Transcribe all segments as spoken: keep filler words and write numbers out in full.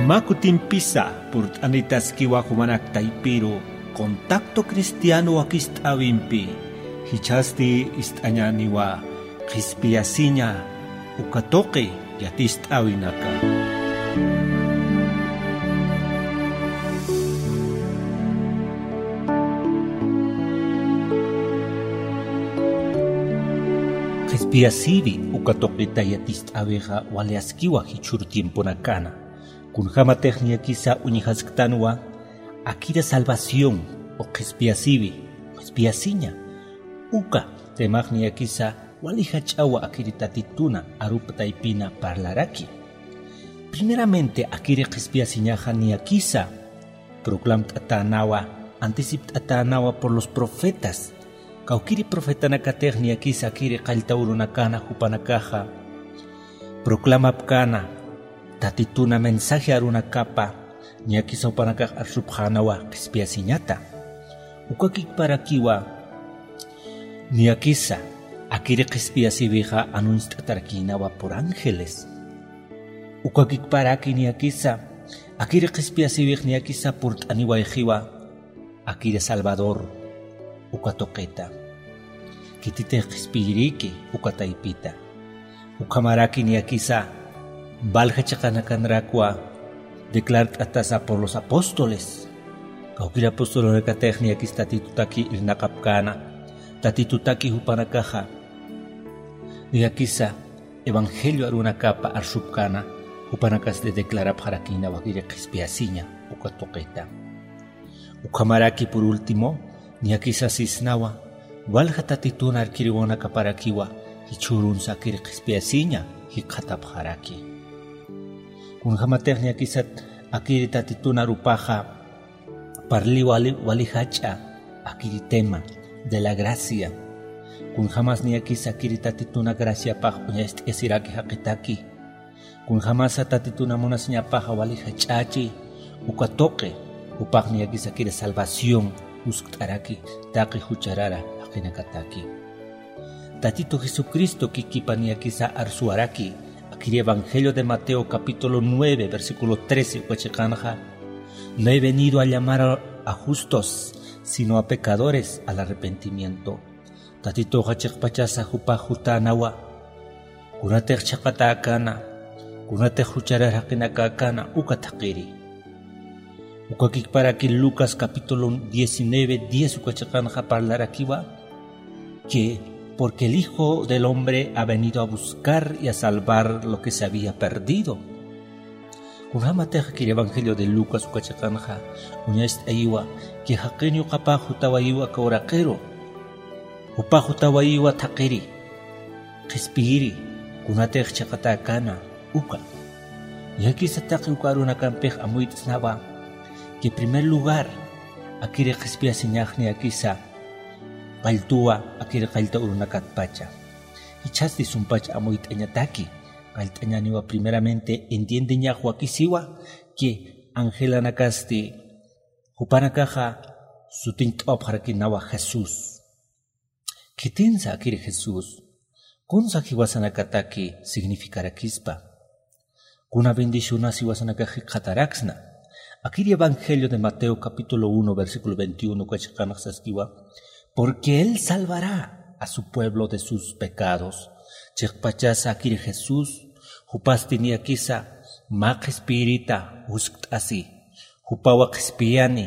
Mä kutimpisa purt'anitaskiwa jumanak taypiru Contacto Cristiano wakist'äwimpi, jichhasti ist'añäniwa qhispiyasiña uka tuqi yatist'äwinaka. Qhispiyasiri uka tuqita yatist'äwixa wali askiwa jichhür tiemponakana. Kunjämatix niyakisa uñjasktanwa akiri salvación o qhispiyasiwi, qhispiyasiña. Uka temax niyakisa wali jach'awa akiri Tatituna arup taypina parlaraki. Primeramente akiri qhispiyasiñaxa niyakisa proclamt'atänawa, anticipt'atänawa por los profetas. Kawkiri profetanakatix niyakisa akiri qallta urunakana jupanakaxa proclamapkäna, Tatituna mensaje arunakapa niyakisa jupanakax arsupxänawa qhispiyasiñata. Ukakikparakiwa niyakisa akiri qhispiyasiwixa anunciat'arakïnawa por ángeles. Ukakikparaki niyakisa akiri qhispiyasiwix niyakisa purt'aniwayxiwa akiri Salvador uka tuqita. Khititix qhispiyirïki uka taypita. Ukhamaraki niyakisa valja chiqanakanrakwa declart'atasa por los apóstoles. Kawkir apostolunakatix niyakis Tatitutaki irnaqapkäna, Tatitutaki jupanakaxa niyakisa evangelio arunakapa arsupkäna, jupanakasti declarapxarakïnawa akiri qhispiyasiña uka tuqita. Ukhamaraki por último, niyakisa sisnawa walja Tatitun arkiriwanakaparakiwa jichhürunsa akiri qhispiyasiña jikxatapxaraki. Kunjämatix niyakisa akiri Tatitun arupaxa parliwa wali, wali jach'a akiri tema de la gracia. Kunjämas niyakisa akiri Tatituna graciapax uñacht'ayasiraki jaqitaki. Kunjämasa Tatituna munasiñapaxa wali jach'achi uka tuqi, jupax niyakisa akiri salvación uskt'araki taqi jucharara jaqinakataki. Tatitu Jesucristo kikipa niyakisa arsuwaraki, akiri Evangelio de Mateo capítulo nueve, versículo trece uka chiqanxa: "No he venido a llamar a, a justos, sino a pecadores al arrepentimiento". Tatituxa chiqpachasa jupax jutänawa, kunatix chhaqatäkäna, kunatix jucharar jaqinakäkäna, uka thaqiri. Ukakikparaki Lucas capítulo diecinueve, diez uka chiqanxa parlarakiwa que: "Porque el Hijo del Hombre ha venido a buscar y a salvar lo que se había perdido". Kunjämatix akiri Evangelio de Lucas uka chiqanxa uñacht'ayiwa que jaqin yuqapax jutawayiwa aka uraqiru, jupax jutawayiwa thaqiri, qhispiyiri, kunatix chhaqatäkäna, uka. Niyakisa taqi uka arunakampix amuyt'snawa que primer lugar akiri qhispiyasiñax niyakisa qalltuwa akiri qallta urunakatpacha. Jichhasti sumpach amuyt'añataki, qallt'añäniwa primeramente entiendeñax wakisiwa que angelanakasti jupanakaxa sutiñt'awapxarakïnawa Jesús. Khitinsa akiri Jesús, kunsa jiwasanakataki significarakispa, kuna bendicionas jiwasanakax jikxataraksna. Akiri Evangelio de Mateo capítulo uno, versículo veintiuno uka chiqanxa saskiwa: "Porque él salvará a su pueblo de sus pecados". Chiqpachasa akiri Jesús, jupasti niyakisa mä qhispiyirita uskt'asi, jupawa qhispiyani,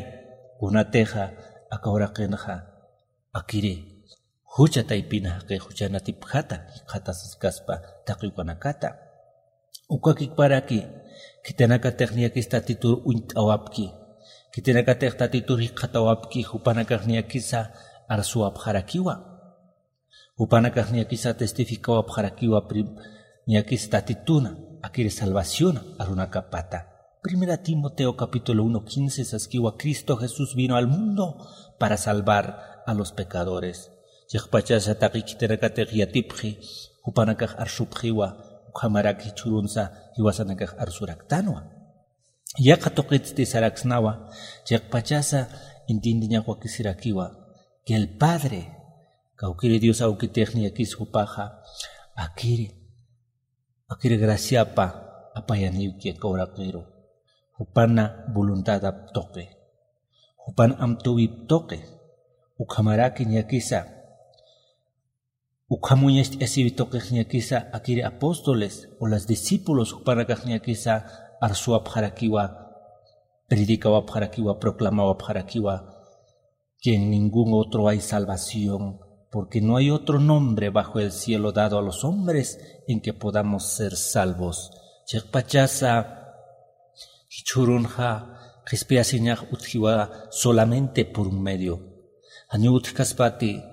kunatixa aka uraqinxa akiri jucha taypina jaqix juchanatipjata jikxatasiskaspa taqi ukanakata. Ukakikparaki, khitinakatix niyakis Tatitur uñt'awapki, khitinakatix Tatitur jikxatawapki, jupanakax niyakisa arsuwapxarakiwa. Jupanakax niyakisa testificawapxarakiwa prim-, niyakis Tatituna akiri salvación arunakapata. Primera Timoteo capítulo uno quince saskiwa: "Cristo Jesús vino al mundo para salvar a los pecadores". Chiqpachasa taqi khitinakatix yatipxi, jupanakax arsupxiwa, ukhamaraki jichhürunsa jiwasanakax arsuraktanwa. Yaqha tuqitsti saraksnawa, chiqpachasa entiendeñax wakisirakiwa que el Padre, kawkiri Dios awkitix niyakis jupaxa akiri, akiri graciapa apayaniwki aka uraqiru. jupana voluntadap tuqi, jupan amtuwip tuqi, ukhamaraki ñakisa, ukham uñacht'asiwi tuqix ñakisa akiri apóstoles o las discípulos jupanakax ñakisa arsuwapxarakiwa, predicawapxarakiwa, proclamawapxarakiwa que en ningún otro hay salvación, porque no hay otro nombre bajo el cielo dado a los hombres en que podamos ser salvos. Chiqpachasa jichhürunxa qhispiyasiñax utjiwa solamente por un medio. Janiw utjkaspati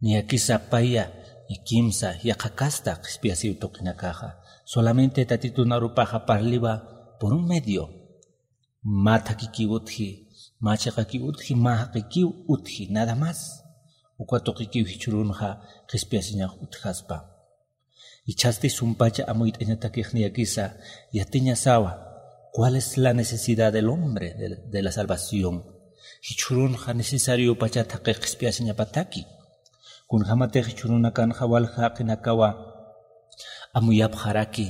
niyakisa paya, ni kimsa, yaqha kasta qhispiyasiw tuqinakaxa. Solamente Tatitun arupaxa parliwa por un medio. Mä thakhikiw utji, mä chiqakiw utji, mä jaqikiw utji, nada más. Uka tuqikiw jichhürunxa qhispiyasiñax utjaspa. Jichhasti sumpacha amuyt'añatakix niyakisa yatiñasawa cuál es la necesidad del hombre de, de la salvación. Jichhürunxa necesariopachat jaqix qhispiyasiñapataki. Kunjämatix jichhürunakanxa walja jaqinakawa amuyapxaraki.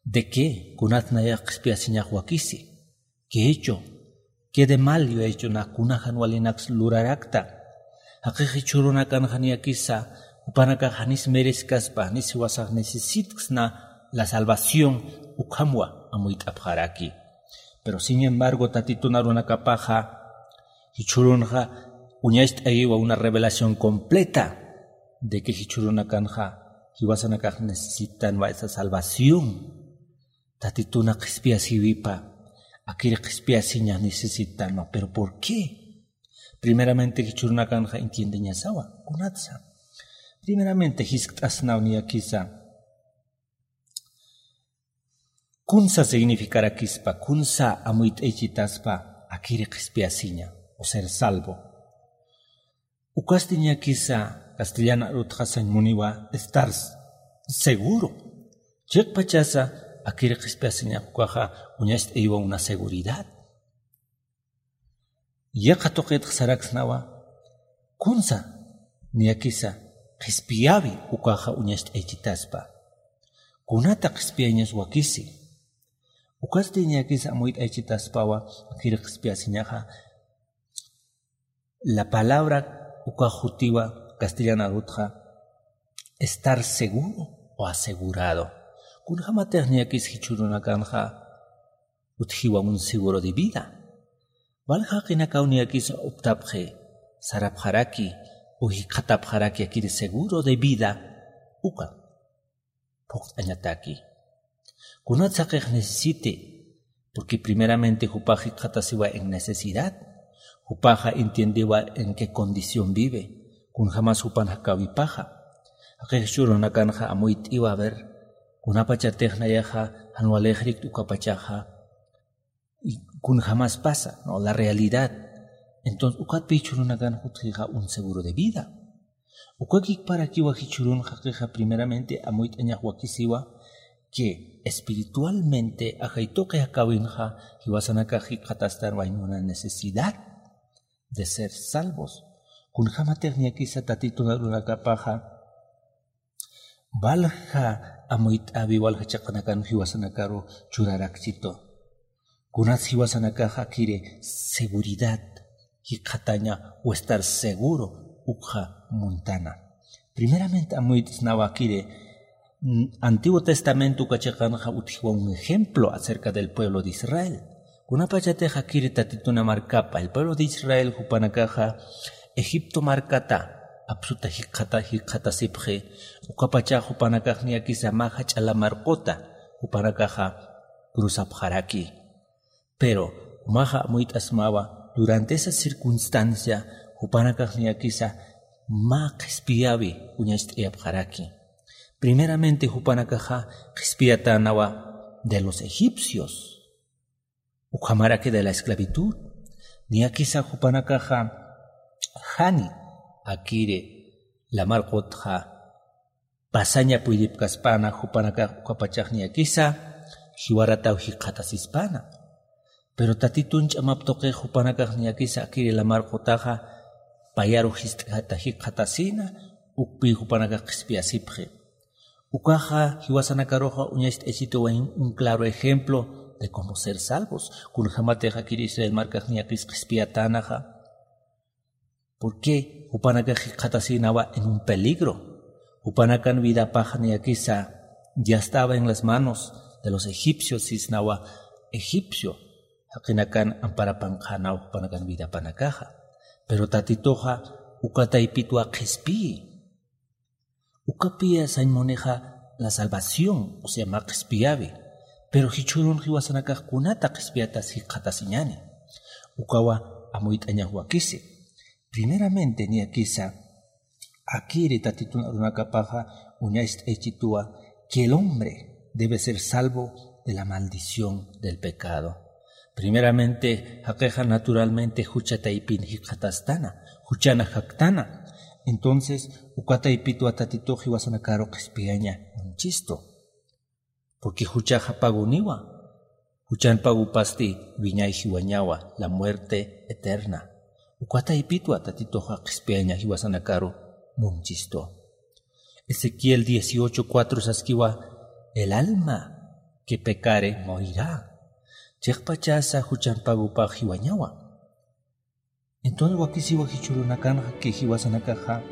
¿De qué? Kunat nayax qhispiyasiñax wakisi. ¿Qué hecho? ¿Qué de mal yo he hecho? Na kuna jan walinaks lurarakta. Jaqix jichhürunakanxa niyakisa jupanakax janis mereskaspa, janis jiwasax necesitksna la salvación, ukhamwa amuyt'apxaraki. Pero sin embargo Tatitun arunakapaxa jichhürunxa uñacht'ayiwa una revelación completa de que jichhürunakanxa jiwasanakax necesitanwa esa salvación. Tatituna qhispiyasiwipa, akiri qhispiyasiña necesitanwa. ¿Pero por qué? Primeramente jichhürunakanxa entiendeñasawa kunatsa. Primeramente jiskt'asnaw niyakisa kunsa significarakispa, kunsa amuyt'aychitaspa akiri qhispiyasiña o ser salvo. Ukasti niyakisa castellan arutxa sañ muniwa estar seguro. Chiqpachasa akiri qhispiyasiñax ukaxa uñacht'ayiwa una seguridad. Yaqha tuqitx saraksnawa kunsa niyakisa qhispiyawi ukaxa uñacht'aychitaspa. Kunata qhispiyañas wakisi. Ukasti niyakisa amuyt'aychitaspawa akiri qhispiyasiñaxa. La palabra ukax jutiwa castellan arutxa estar seguro o asegurado. Kunjämatix niyakis jichhürunakanxa utjiwa un seguro de vida. Walja jaqinakaw niyakisa optapxi, sarapxaraki o jikxatapxaraki akiri seguro de vida uka phuqt'añataki. Kunat jaqix necesite, porque primeramente jupax jikxatasiwa en necesidad, jupaxa entiendewa en qué condición vive, kunjämas jupan jakäwipaxa. Jaqix jichhürunakanxa amuyt'iwa a ver kunapachatix nayaxa jan walixirikti ukapachaxa, y kunjämas pasa, ¿no? La realidad. Entonces ukatpï jichhürunakan jutxixa un seguro de vida. Ukakikparakiwa jichhürun jaqixa primeramente amuyt'añax wakisiwa que espiritualmente ajay tuqi jakäwinxa jiwasanakax jikxatastan wayna necesidad de ser salvos. Kunjämatix niyakisa Tatitun arunakapaxa walja amuyt'äwi, walja chiqanakan jiwasanakaru churarakchitu. Kunats jiwasanakax akiri seguridad jikxataña o estar seguro ukxa muntana. Primeramente amuyt'snawa akiri, mm, Antiguo Testamento uka chiqanxa utjiwa un ejemplo acerca del pueblo de Israel. Kunapachatix akiri Tatituna markapa, el pueblo de Israel jupanakaxa Egipto markata apsuta jikxata, jikxatasipxi, ukapachax jupanakax niyakisa mä jach'a lamar quta jupanakaxa cruzapxaraki. Pero jumaxa amuyt'asmawa, durante esa circunstancia jupanakax niyakisa mä qhispiyäwi uñacht'ayapxaraki. Primeramente jupanakaxa qhispiyatänawa de los egipcios. Ukhamaraki de la esclavitud. Niyakisa jupanakaxa jani akiri lamar qutxa pasaña puydipkaspäna, jupanakax ukapachax niyakisa jiwarataw jikxatasispana. Pero Tatitun ch'amap tuqix jupanakax niyakisa akiri lamar qutaxa payaru jist'ata jikxatasina, ukpï jupanakax qhispiyasipxi. Ukaxa jiwasanakaruxa uñacht'aychituwa un claro ejemplo de cómo ser salvos. Kunjämatix akir Israel markax niyakis qhispiyatänaxa. ¿Por qué? Jupanakax jikxatasïnawa en un peligro. Jupanakan vidapaxa niyakisa ya estaba en las manos de los egipcios, sisnawa egipcio jaqinakan amparapankxänaw jupanakan vidapanakaxa. Pero Tatituxa uka taypitwa qhispiyi. Ukapiya sañ munixa la salvación, o sea, mä qhispiyawi. Pero jichhürun jiwasanakax kunata qhispiyatas jikxatasiñäni. Ukawa amuyt'añax wakisi. Primeramente, niyakisa, akiri Tatitun arunakapaxa uñacht'aychituwa que el hombre debe ser salvo de la maldición del pecado. Primeramente, jaqixa naturalmente jucha taypin jikxatastana, juchana jaktana. Entonces, uka taypitwa Tatitux jiwasanakaru qhispiyaña munchistu. Porque juchaxa paguniwa. Juchan pagupasti wiñay jiwañawa, la muerte eterna. Uka taypitwa Tatituxa qhispiyaña jiwasanakaru munchistu. Ezequiel dieciocho cuatro saskiwa, el alma que pecare morirá. Chiqpachasa juchan pagupax jiwañawa. Entonces wakisiwa jichhürunakanxa que jiwasanakaxa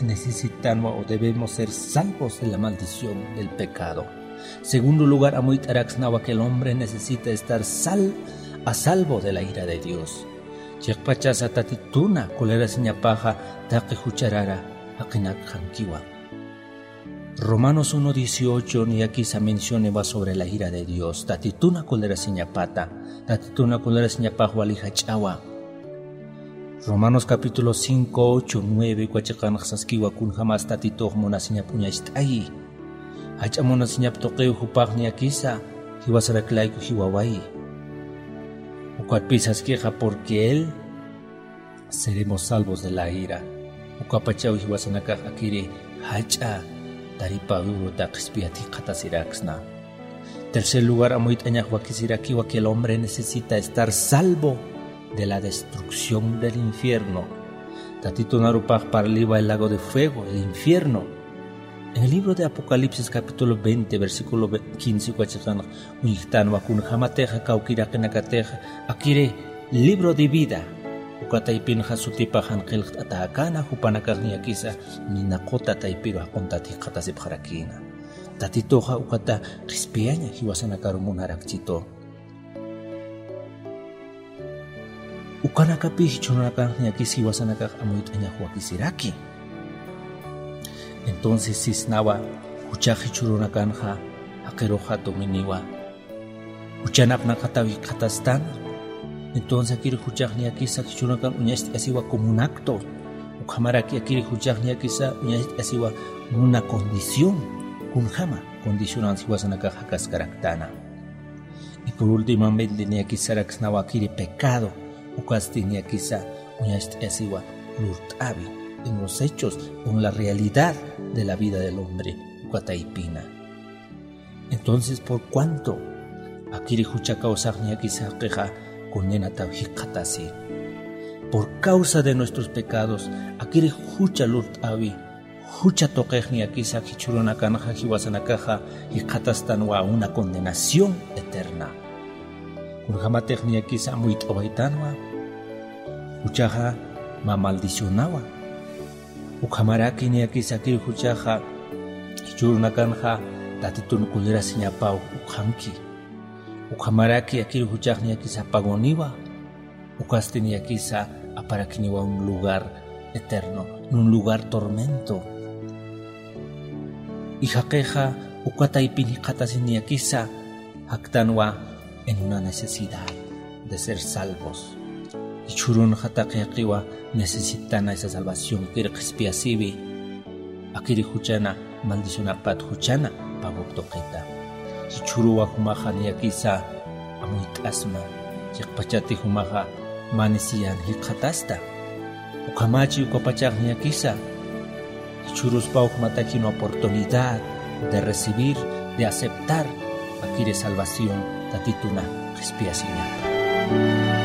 necesitanwa o debemos ser salvos de la maldición del pecado. Segundo lugar, amuyt'araksnawa que el hombre necesita estar sal-, a salvo de la ira de Dios. Chiqpachasa Tatituna colerasiñapaxa taqi jucharara jaqinakxankiwa. Romanos uno dieciocho niyakisa mencioniwa sobre la ira de Dios. Tatituna colerasiñapata, Tatituna colerasiñapax wali jach'awa. Romanos capítulo cinco, ocho, nueve uka chiqanx saskiwa kunjamas Tatitux munasiñap uñacht'ayi. Jach'a munasiñap tuqiw jupax niyakisa jiwasarak layku jiwawayi. Ukatpï saskixa porque él seremos salvos de la ira. Ukapachaw jiwasanakax akiri jach'a taripäwi uruta qhispiyat jikxatasiraksna. Tercer lugar, amuyt'añax wakisirakiwa que el hombre necesita estar salvo de la destrucción del infierno. Tatitun arupax parliwa el lago de fuego, el infierno. En el libro de Apocalipsis capítulo veinte, versículo ve-, quince uka chiqanx uñjtanwa kunjämatixa kawkïraqinakatixa akiri libro de vida uka taypinxa sutipax jan qillqt'atäkäna, jupanakax niyakisa nina quta taypiru jaquntat jikxatasipxarakïna. Tatituxa ukata qhispiyaña jiwasanakaru munarakchitu. Ukanakapï jichhürunakanx niyakis jiwasanakax amuyt'añax wakisiraki. Entonces sisnawa, juchax jichhürunakanxa jaqiruxa dominiwa. Juchan apnaqataw jikxatastan. Entonces akiri juchax niyakisa jichhürunakan uñacht'asiwa como un acto. Ukhamaraki akiri juchax niyakisa uñacht'asiwa una condición. Kunjama condicionan jiwasanakax jakaskaraktana. Y por últimamente niyakisa saraksnawa akiri pecado, ukasti niyakisa uñacht'asiwa lurt'awi en los hechos, en la realidad de la vida del hombre, uka taypina. Entonces, por cuanto akiri jucha kawsax niyakisa jaqixa condenataw jikxatasi. Por causa de nuestros pecados, akiri jucha lurt'awi, jucha tuqix niyakisa jichhürunakanxa jiwasanakaxa jikxatastanwa una condenación eterna. Kunjämatix niyakisa amuyt'awaytanwa, juchaxa mä maldicionawa. Ukhamaraki niyakisa akiri juchaxa jichhürunakanxa Tatitun colerasiñapaw ukxanki. Ukhamaraki akiri juchax niyakisa paguniwa. Ukasti niyakisa aparakiniwa un lugar eterno, un lugar tormento. Y jaqixa uka taypin jikxatasi niyakisa jaktanwa en una necesidad de ser salvos. Jichhürunxa taqi jaqiwa necesitana esa salvación, akiri qhispiyasiwi, akiri juchana maldicionapat juchana pagup tuqita. Jichhüruwa jumaxa niyakisa amuyt'asma, chiqpachati jumaxa mä necesidad jikxatasta. Ukhamachi ukapachax niyakisa jichhüruspaw jumatakïn oportunidad de recibir, de aceptar akiri salvación Tatituna qhispiyasiñapa.